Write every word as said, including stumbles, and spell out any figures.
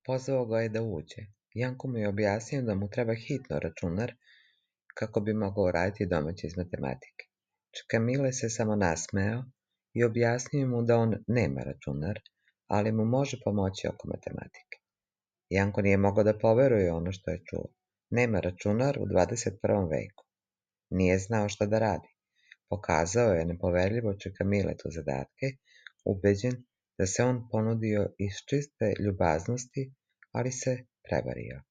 Pozvao ga je da uđe. Janko mu je objasnio da mu treba hitno računar kako bi mogao raditi domaće iz matematike. Čika Mile se samo nasmejao i objasnio mu da on nema računar, ali mu može pomoći oko matematike. Janko nije mogao da poveruje ono što je čuo. Nema računar u dvadeset prvom veku. Nije znao šta da radi. Pokazao je nepoverljivo Čika Miletu zadatke, ubeđen da se on ponudio iz čiste ljubaznosti, ali se prevario.